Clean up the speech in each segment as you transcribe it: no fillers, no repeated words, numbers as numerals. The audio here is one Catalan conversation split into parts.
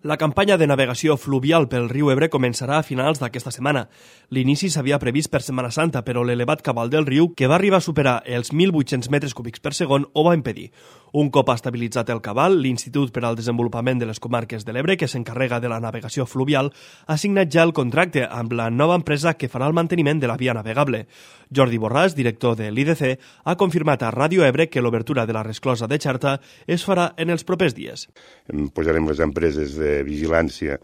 La campanya de navegació fluvial pel riu Ebre començarà a finals d'aquesta setmana. L'inici s'havia previst per Setmana Santa, però l'elevat cabal del riu, que va arribar a superar els 1.800 metres cúbics per segon, ho va impedir. Un cop estabilitzat el cabal, l'Institut per al Desenvolupament de les Comarques de l'Ebre, que s'encarrega de la navegació fluvial, ha signat ja el contracte amb la nova empresa que farà el manteniment de la via navegable. Jordi Borràs, director de l'IDC, ha confirmat a Ràdio Ebre que l'obertura de la resclosa de Xarta es farà en els propers dies. Posarem les empreses de vigilància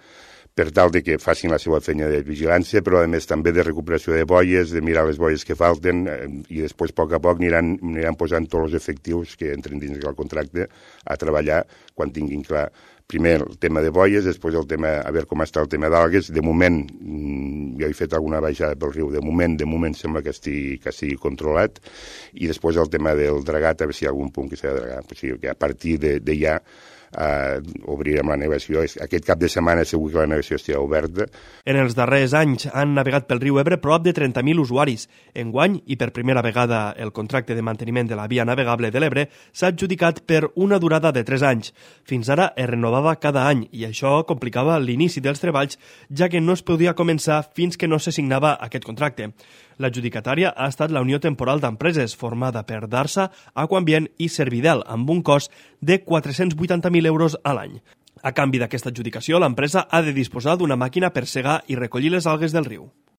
per tal de que facin la seva feina de vigilància, però a més també de recuperació de boies, de mirar les boies que falten, i després a poc aniran posant tots els efectius que entren dins del contracte a treballar quan tinguin clar primer el tema de boies, després el tema, a veure com està el tema d'algues. De moment, jo he fet alguna baixada pel riu, de moment sembla que estigui controlat, i després el tema del dragat, a veure si hi ha algun punt que s'ha de dragar. O sigui que a partir de ja obrirem la navegació. Aquest cap de setmana segur que la navegació estarà oberta. En els darrers anys han navegat pel riu Ebre prop de 30.000 usuaris. Enguany, i per primera vegada el contracte de manteniment de la via navegable de l'Ebre s'ha adjudicat per una durada de 3 anys. Fins ara es renovava cada any i això complicava l'inici dels treballs, ja que no es podia començar fins que no se signava aquest contracte. L'adjudicatària ha estat la Unió Temporal d'Empreses, formada per Darsa, Aquambient i Servidel, amb un cost de 480.000 euros a l'any. A canvi d'aquesta adjudicació, l'empresa ha de disposar d'una màquina per segar i recollir les algues del riu.